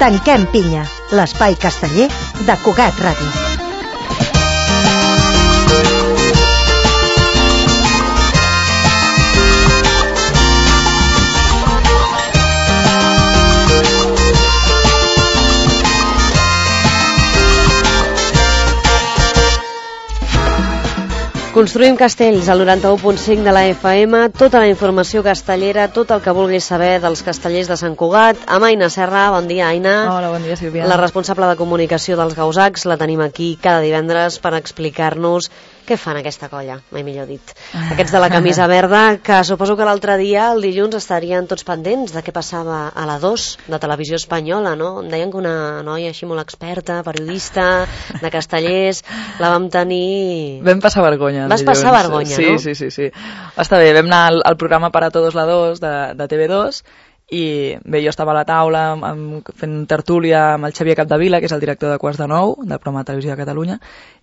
Tanquem pinya, l'espai casteller de Cugat Ràdio. Construïm castells al 91.5 de la FM, tota la informació castellera, tot el que vulguis saber dels castellers de Sant Cugat. Amb Aina Serra, bon dia, Aina. Hola, bon dia, Sílvia. La responsable de comunicació dels Gausacs, la tenim aquí cada divendres per explicar-nos què fan aquesta colla, mai millor dit. Aquests de la camisa verda, que suposo que l'altre dia, el dilluns, estarien tots pendents de què passava a la 2 de Televisió Espanyola, no? Em deien que una noia així molt experta, periodista, de castellers, la vam tenir... Vam passar vergonya. Vas passar vergonya, sí, no? Sí. Està bé, vam anar al programa Para Todos la 2 de TV2 i bé, jo estava a la taula fent tertúlia amb el Xavier Capdevila, que és el director de Quarts de Nou, del programa de Televisió de Catalunya,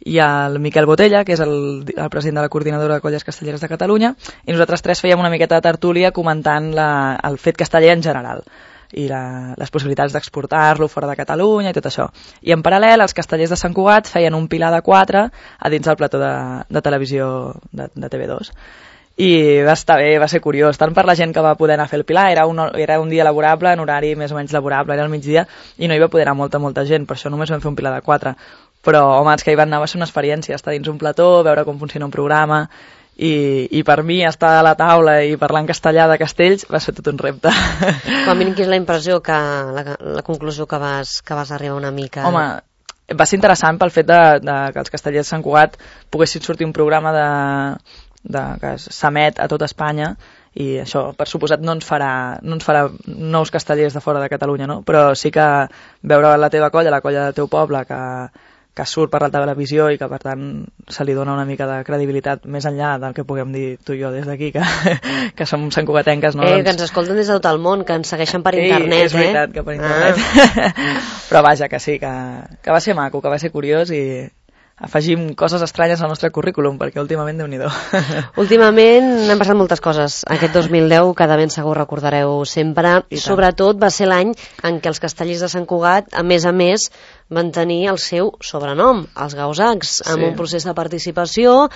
i el Miquel Botella, que és el president de la Coordinadora de Colles Castelleres de Catalunya, i nosaltres tres fèiem una miqueta de tertúlia comentant el fet casteller en general i les possibilitats d'exportar-lo fora de Catalunya i tot això. I en paral·lel, els castellers de Sant Cugat feien un pilar de 4 a dins del plató de televisió de TV2. I va estar bé, va ser curiós, tant per la gent que va poder anar a fer el pilar, era un dia laborable, en horari més o menys laborable, era al migdia, i no hi va poder anar molta gent, per això només vam fer un pilar de 4. Però, home, els que hi van anar va ser una experiència, estar dins un plató, veure com funciona un programa, i per mi estar a la taula i parlar en castellà de castells va ser tot un repte. Com a mínim, quina és la impressió, la conclusió que vas arribar una mica? Home, va ser interessant pel fet que els castellers de Sant Cugat poguessin sortir un programa que s'emet a tota Espanya, i això, per suposat, no ens farà nous castellers de fora de Catalunya, no? Però sí que veure la teva colla, la colla del teu poble, que surt per la televisió i que, per tant, se li dona una mica de credibilitat més enllà del que puguem dir tu i jo des d'aquí, que som santcugatenques, no? Que ens escolten des de tot el món, que ens segueixen per internet, és veritat, que per internet. Però vaja, que sí, que va ser maco, que va ser curiós, i afegim coses estranyes al nostre currículum, perquè últimament, Déu-n'hi-do. Últimament han passat moltes coses. Aquest 2010, que de ben segur recordareu sempre. Sobretot va ser l'any en què els castellers de Sant Cugat, a més, van tenir el seu sobrenom, els Gausacs, amb un procés de participació,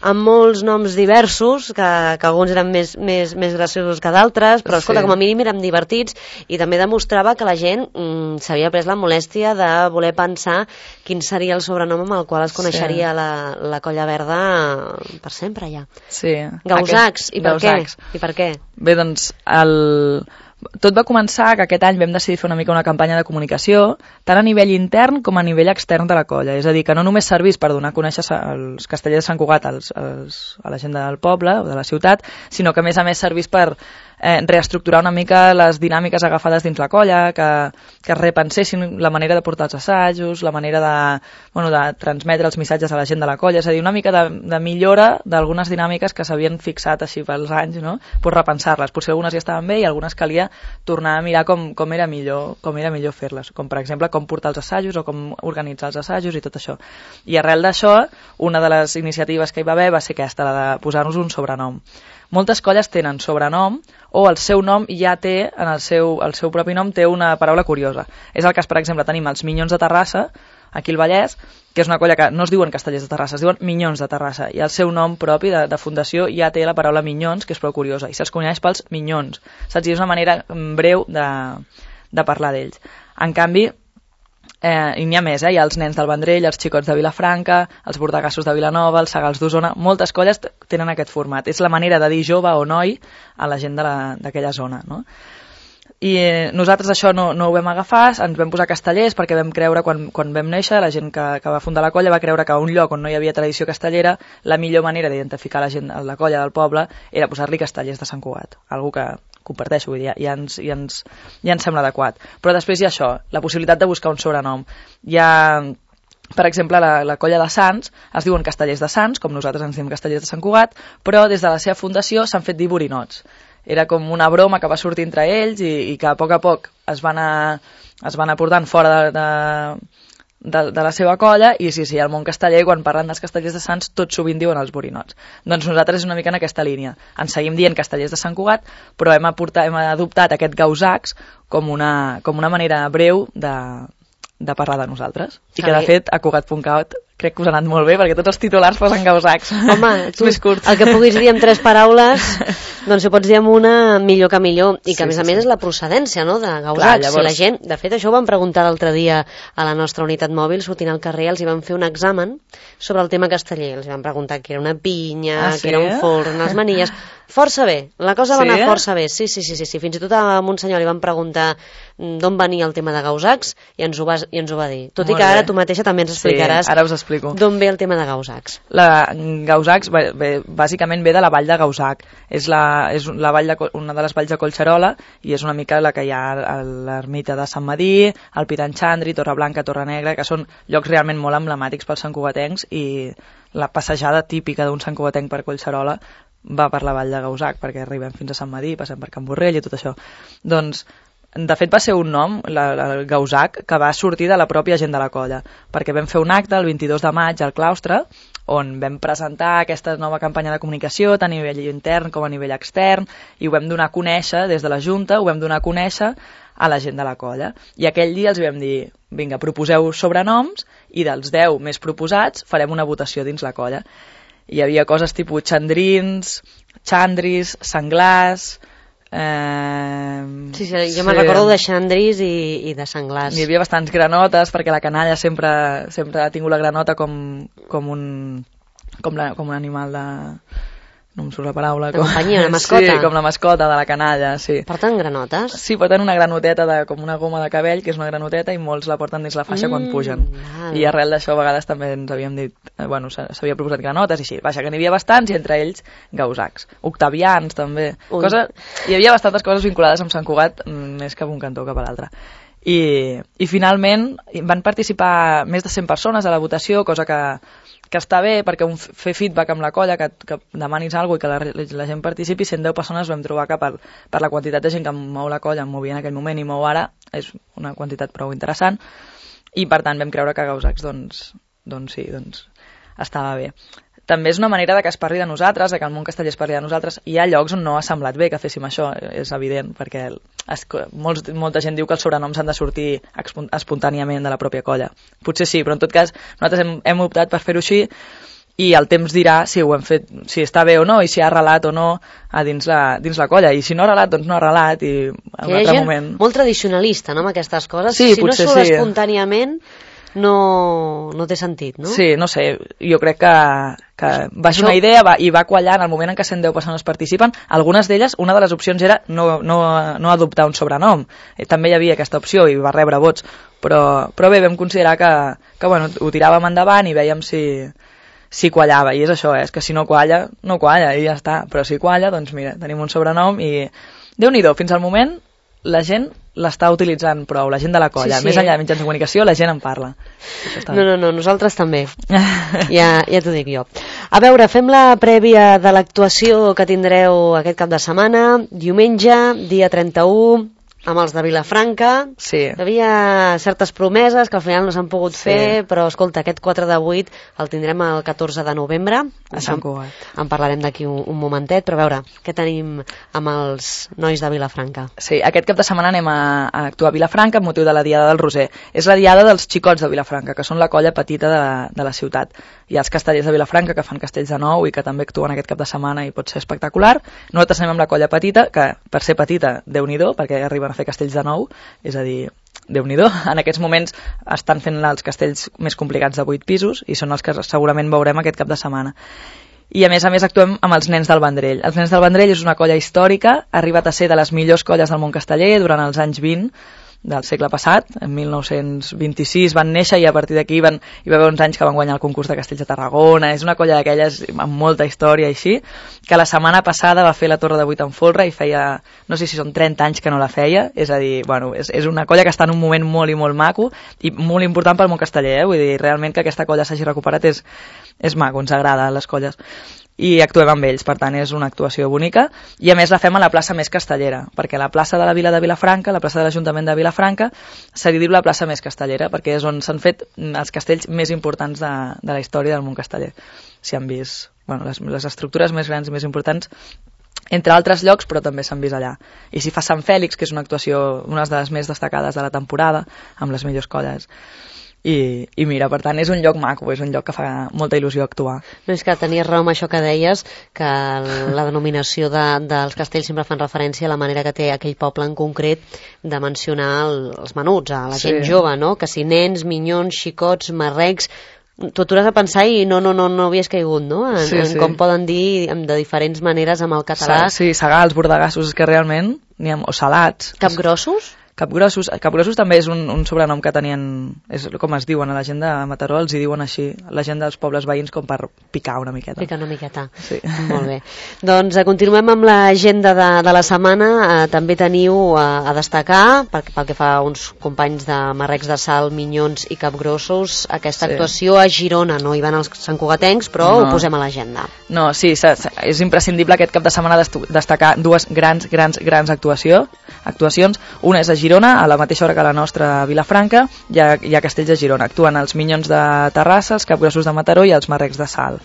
amb molts noms diversos, que alguns eren més graciosos que d'altres, però escolta, com a mínim érem divertits, i també demostrava que la gent s'havia pres la molèstia de voler pensar quin seria el sobrenom amb el qual es coneixeria la colla verda per sempre ja. Sí. Gausacs, i per què? Bé, doncs, tot va començar que aquest any vam decidir fer una mica una campanya de comunicació, tant a nivell intern com a nivell extern de la colla. És a dir, que no només servís per donar a conèixer els castellers de Sant Cugat a la gent del poble o de la ciutat, sinó que a més servís per reestructurar una mica les dinàmiques agafades dins la colla, que repensessin la manera de portar els assajos, la manera de transmetre els missatges a la gent de la colla, és a dir, una mica de millora d'algunes dinàmiques que s'havien fixat així pels anys, no? Pues repensar-les. Potser algunes ja estaven bé i algunes calia tornar a mirar com era millor fer-les, com per exemple com portar els assajos o com organitzar els assajos i tot això. I arrel d'això, una de les iniciatives que hi va haver va ser aquesta, la de posar-nos un sobrenom. Moltes colles tenen sobrenom o el seu nom ja té, en el seu propi nom té una paraula curiosa. És el cas, per exemple, tenim els Minyons de Terrassa, aquí al Vallès, que és una colla que no es diuen castellers de Terrassa, es diuen Minyons de Terrassa, i el seu nom propi de fundació ja té la paraula minyons, que és prou curiosa, i se'ls coneix pels minyons. Saps? I és una manera breu de parlar d'ells. En canvi, i n'hi ha més, hi ha els nens del Vendrell, els xicots de Vilafranca, els bordegassos de Vilanova, els segals d'Osona, moltes colles tenen aquest format, és la manera de dir jove o noi a la gent d'aquella zona, no? I nosaltres això no ho vam agafar, ens vam posar castellers perquè vam creure, quan vam néixer, la gent que va fundar la colla va creure que a un lloc on no hi havia tradició castellera, la millor manera d'identificar la gent, la colla del poble, era posar-li castellers de Sant Cugat, algo que comparteixo, vull dir, ja ens sembla adequat. Però després hi ha això, la possibilitat de buscar un sobrenom. Hi ha, per exemple, la colla de Sants, es diuen castellers de Sants, com nosaltres ens diem castellers de Sant Cugat, però des de la seva fundació s'han fet dir borinots. Era com una broma que va sortir entre ells i que a poc es van anar portant fora de la seva colla, i sí, el món casteller, quan parlen dels castellers de Sants, tot sovint diuen els borinots. Doncs nosaltres és una mica en aquesta línia. Ens seguim dient castellers de Sant Cugat, però hem adoptat aquest gausacs com una manera breu de parlar de nosaltres. I que, de fet, a Cugat.cat crec que us ha anat molt bé, perquè tots els titulars posen gausacs. Home, tu, més curt. El que puguis dir en 3 paraules, doncs si ho pots dir amb una, millor que millor. I que, a més a més, és la procedència, no?, de gausacs. Clar, llavors... Si la gent, de fet, això ho vam preguntar l'altre dia a la nostra unitat mòbil, sortint al carrer, els hi vam fer un examen sobre el tema casteller. Els hi vam preguntar què era una pinya, què era un forn, les manilles... Força bé, la cosa va anar força bé, sí. Fins i tot a un senyor li van preguntar d'on venia el tema de gausacs i ens ho va dir. Tot i que ara tu mateixa també ens explicaràs d'on ve el tema de gausacs. Gausacs bàsicament ve de la vall de Gausac. És la vall una de les valls de Collserola, i és una mica la que hi ha a l'ermita de Sant Madí, el Pitanxandri, Torreblanca, Torrenegra, que són llocs realment molt emblemàtics pels santcugatencs, i la passejada típica d'un santcugatenc per Collserola va per la vall de Gausac, perquè arribem fins a Sant Madí, passem per Can Borrell i tot això. Doncs, de fet, va ser un nom, el Gausac, que va sortir de la pròpia gent de la colla, perquè vam fer un acte el 22 de maig al claustre, on vam presentar aquesta nova campanya de comunicació, tant a nivell intern com a nivell extern, i ho vam donar a conèixer des de la Junta, ho vam donar a conèixer a la gent de la colla. I aquell dia els vam dir, vinga, proposeu sobrenoms, i dels 10 més proposats farem una votació dins la colla. Hi havia coses tipus xandrins, xandris, senglars... Sí, jo me'n recordo de xandris i de senglars. Hi havia bastants granotes, perquè la canalla sempre ha tingut la granota com un animal de... no em surt la paraula. De companyia, una mascota. Sí, com la mascota de la canalla, sí. Porten granotes? Sí, porten una granoteta com una goma de cabell, que és una granoteta, i molts la porten dins la faixa quan pugen. I arrel d'això a vegades també ens havíem dit, bueno, s'havia proposat granotes i així. Vaja, que n'hi havia bastants, i entre ells gausacs. Octavians també. Hi havia bastantes coses vinculades amb Sant Cugat, més que un cantó cap a l'altre. I finalment van participar més de 100 persones a la votació, cosa que està bé, perquè fer feedback amb la colla, que demanis alguna cosa i que la gent participi. 110 persones vam trobar que per la quantitat de gent que mou la colla, movia en aquell moment i mou ara, és una quantitat prou interessant, i per tant vam creure que gausacs doncs estava bé. També és una manera de que es parli de nosaltres, de que el món casteller es parli de nosaltres. Hi ha llocs on no ha semblat bé que féssim això, és evident, perquè molta gent diu que els sobrenoms han de sortir espontàniament de la pròpia colla. Potser sí, però en tot cas nosaltres hem optat per fer-ho així, i el temps dirà si ho hem fet, si està bé o no, i si ha arrelat o no a dins la colla. I si no ha arrelat, doncs no ha arrelat, i en un altre moment... Molt tradicionalista, no?, amb aquestes coses. Sí, si no surt espontàniament... No té sentit, no? Sí, no sé, jo crec que va ser una idea i va quallar en el moment en què 110 persones participen. Algunes d'elles, una de les opcions era no adoptar un sobrenom. També hi havia aquesta opció i va rebre vots, però bé, vam considerar que bueno, ho tiràvem endavant i vèiem si quallava, i és això, és que si no qualla, no qualla, i ja està. Però si qualla, doncs mira, tenim un sobrenom i Déu-n'hi-do, fins al moment la gent l'està utilitzant prou, la gent de la colla. Més enllà de mitjans de comunicació, la gent en parla. No, nosaltres també. Ja t'ho dic jo. A veure, fem la prèvia de l'actuació que tindreu aquest cap de setmana, diumenge, dia 31, amb els de Vilafranca. Sí. Hi havia certes promeses que al final no s'han pogut fer, però escolta, aquest 4 de 8 el tindrem el 14 de novembre. A Sant Cugat. En parlarem d'aquí un momentet, però a veure, què tenim amb els nois de Vilafranca? Sí, aquest cap de setmana anem a actuar a Vilafranca amb motiu de la Diada del Roser. És la Diada dels xicots de Vilafranca, que són la colla petita de la ciutat. Hi ha els castellers de Vilafranca que fan castells de nou i que també actuen aquest cap de setmana i pot ser espectacular. Nosaltres anem amb la colla petita, que per ser petita, Déu-n'hi-do, perquè arriben a fer castells de nou, és a dir, Déu-n'hi-do. En aquests moments estan fent els castells més complicats de 8 pisos i són els que segurament veurem aquest cap de setmana. I a més actuem amb els Nens del Vendrell. Els Nens del Vendrell és una colla històrica, ha arribat a ser de les millors colles del món casteller durant els anys 20 del segle passat. En 1926 van néixer i a partir d'aquí hi va haver uns anys que van guanyar el concurs de castells de Tarragona. És una colla d'aquelles amb molta història així, que la setmana passada va fer la Torre de 8 en folre i feia, no sé si són 30 anys que no la feia, és a dir, bueno, és una colla que està en un moment molt i molt maco i molt important pel món casteller, vull dir, realment que aquesta colla s'hagi recuperat és maco, ens agrada les colles. i actuem amb ells, per tant és una actuació bonica, i a més la fem a la plaça més castellera, perquè la plaça de la Vila de Vilafranca, la plaça de l'Ajuntament de Vilafranca, se li diu la plaça més castellera, perquè és on s'han fet els castells més importants de la història del món casteller. S'hi han vist les estructures més grans i més importants, entre altres llocs, però també s'han vist allà. I s'hi fa Sant Fèlix, que és una actuació, una de les més destacades de la temporada, amb les millors colles. I mira, per tant, és un lloc maco, és un lloc que fa molta il·lusió actuar. No, és que tenies raó amb això que deies, que la denominació dels castells sempre fan referència a la manera que té aquell poble en concret de mencionar els menuts, a la gent jove, no? Que si nens, minyons, xicots, marrecs... Tu t'hauràs de pensar i no havies caigut, no? En com poden dir de diferents maneres amb el català. Sí, segals, bordegassos, és que realment o salats. Capgrossos? Capgrossos també és un sobrenom que tenien, és com es diuen a la gent de Mataró, els hi diuen així, la gent dels pobles veïns, com per picar una miqueta. Picar una miqueta, sí. Molt bé. Doncs continuem amb l'agenda de la setmana. També teniu a destacar, pel que fa a uns companys de marrecs de sal, minyons i capgrossos, aquesta actuació a Girona. No hi van els santcugatencs, però ho posem a l'agenda. No, sí, és imprescindible aquest cap de setmana destacar dues grans actuacions. Una és a Girona, a la mateixa hora que la nostra Vilafranca, hi ha castells a Girona. Actuen els minyons de Terrassa, els capgrossos de Mataró i els marrecs de Salt.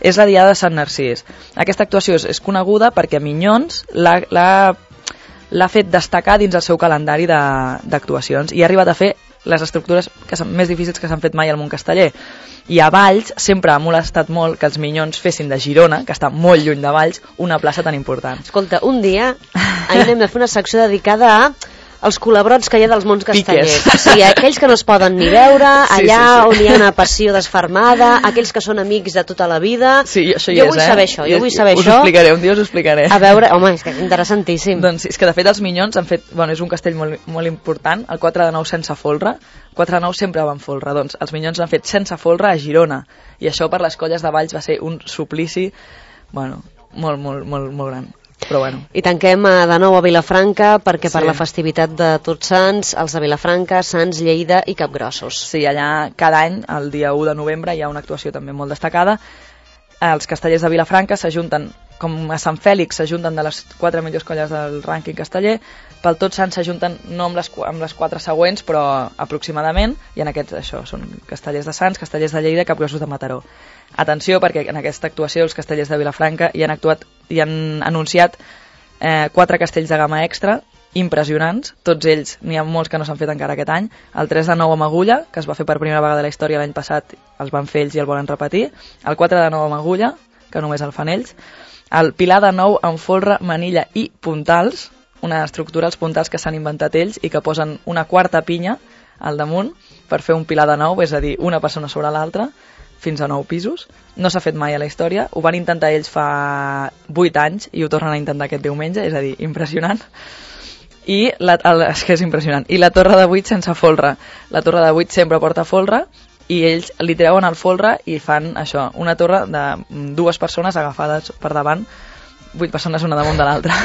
És la Diada de Sant Narcís. Aquesta actuació és coneguda perquè Minyons l'ha fet destacar dins el seu calendari d'actuacions i ha arribat a fer les estructures més difícils que s'han fet mai al món casteller. I a Valls sempre ha molestat molt que els Minyons fessin de Girona, que està molt lluny de Valls, una plaça tan important. Escolta, un dia hem de fer una secció dedicada als culebrots que hi ha dels mons castellers. O sigui, aquells que no es poden ni veure, allà on hi ha una passió desfermada, aquells que són amics de tota la vida. Sí, això jo vull saber això, jo vull saber això. Us ho explicaré, un dia us ho explicaré. A veure, home, és que és interessantíssim. Doncs és que de fet els Minyons han fet, és un castell molt important, el 4 de 9 sense folre, 4 de 9 sempre van folre, doncs els Minyons l'han fet sense folre a Girona, i això per les colles de Valls va ser un suplici, molt gran. Però I tanquem de nou a Vilafranca perquè per la festivitat de Tots Sants, els de Vilafranca, Sants, Lleida i Capgrossos. Sí, allà cada any, el dia 1 de novembre, hi ha una actuació també molt destacada. Els castellers de Vilafranca s'ajunten, com a Sant Fèlix s'ajunten de les 4 millors colles del rànquing casteller, pel Tots Sants s'ajunten no amb les 4 següents, però aproximadament, i en aquests això, són castellers de Sants, castellers de Lleida i Capgrossos de Mataró. Atenció, perquè en aquesta actuació els castellers de Vilafranca hi han anunciat 4 castells de gamma extra impressionants, tots ells, n'hi ha molts que no s'han fet encara aquest any. El 3 de 9 amb agulla, que es va fer per primera vegada a la història l'any passat, els van fer ells i el volen repetir. El 4 de 9 amb agulla, que només el fan ells. El pilar de 9 amb folre, manilla i puntals, una estructura, els puntals que s'han inventat ells i que posen una quarta pinya al damunt per fer un pilar de 9, és a dir, una persona sobre l'altra, fins a 9 pisos. No s'ha fet mai a la història. Ho van intentar ells fa 8 anys i ho tornen a intentar aquest diumenge, és a dir, impressionant. És que és impressionant. I la torre de 8 sense folre. La torre de 8 sempre porta folre i ells li treuen el folre i fan això, una torre de 2 persones agafades per davant, 8 persones una damunt de l'altra.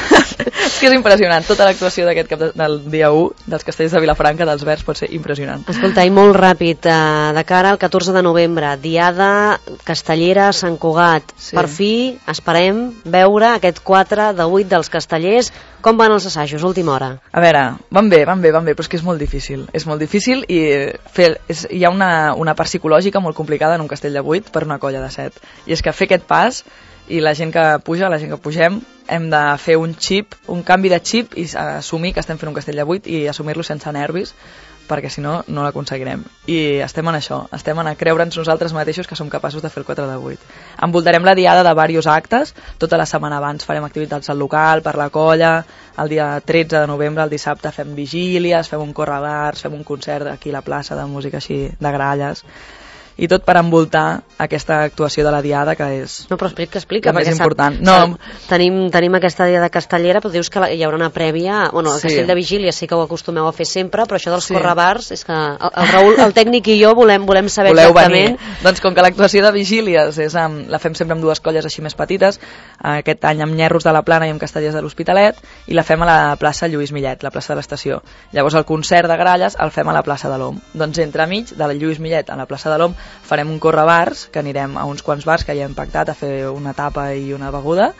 És que és impressionant. Tota l'actuació d'aquest cap del dia 1 dels castells de Vilafranca, dels Verds, pot ser impressionant. Escolta, i molt ràpid, de cara al 14 de novembre, Diada Castellera Sant Cugat. Sí. Per fi esperem veure aquest 4 de 8 dels castellers. Com van els assajos, última hora? A veure, van bé, però és que és molt difícil. És molt difícil i hi ha una part psicològica molt complicada en un castell de 8 per una colla de 7. I és que fer aquest pas, i la gent que puja, la gent que pugem, hem de fer un canvi de xip i assumir que estem fent un castell de 8 i assumir-lo sense nervis, perquè si no, no l'aconseguirem. I estem en això, estem en creure'ns nosaltres mateixos que som capaços de fer el 4 de 8. Envoltarem la diada de diversos actes, tota la setmana abans farem activitats al local, per la colla, el dia 13 de novembre, el dissabte, fem vigílies, fem un correbars, fem un concert aquí a la plaça de música així de gralles, i tot per envoltar aquesta actuació de la diada, que és explica, la més important. Tenim aquesta diada castellera, però dius que hi haurà una prèvia. El castell de vigília sí que ho acostumeu a fer sempre, però això dels correbars, és que el Raül, el tècnic i jo volem saber exactament. Doncs com que l'actuació de vigílies la fem sempre amb 2 colles així més petites, aquest any amb Nyerros de la Plana i amb Castellers de l'Hospitalet, i la fem a la plaça Lluís Millet, la plaça de l'Estació. Llavors el concert de gralles el fem a la plaça de l'Om. Doncs entremig de la Lluís Millet a la plaça de l'Om farem un correbars, que anirem a uns quants bars que ja hem pactat a fer una tapa i una beguda,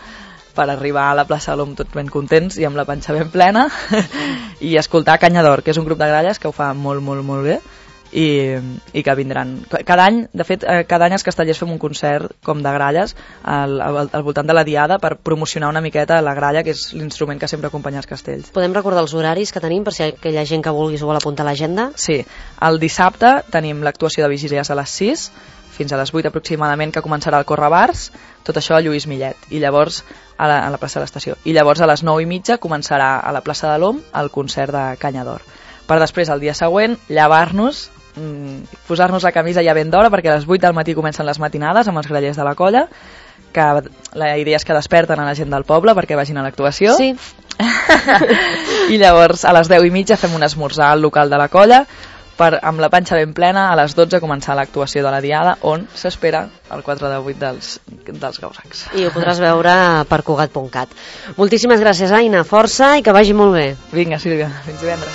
per arribar a la plaça de l'OM tots ben contents i amb la panxa ben plena, i escoltar Canya d'Or, que és un grup de gralles que ho fa molt, molt, molt bé, i que vindran cada any. De fet, cada any els castellers fem un concert com de gralles al voltant de la diada per promocionar una miqueta la gralla, que és l'instrument que sempre acompanya els castells. Podem recordar els horaris que tenim per si aquella gent que vulgui s'ho vol apuntar a l'agenda? Sí, el dissabte tenim l'actuació de vigílies a les 6 fins a les 8 aproximadament, que començarà el Correbars, tot això a Lluís Millet, i llavors a la plaça de l'Estació, i llavors a les 9:30 començarà a la plaça de l'OM el concert de Canya d'Or, per després el dia següent llevar-nos, posar-nos la camisa ja ben d'hora, perquè a les 8 del matí comencen les matinades amb els grallers de la colla, que la idea és que desperten a la gent del poble perquè vagin a l'actuació. Sí. I llavors a les 10:30 fem un esmorzar al local de la colla per, amb la panxa ben plena, a les 12 començar l'actuació de la diada, on s'espera el 4 de 8 dels gausacs. I ho podràs veure per Cugat.cat. Moltíssimes gràcies, Aina, força i que vagi molt bé. Vinga, Sílvia, fins divendres.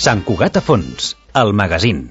Sant Cugat a fons, el magazín.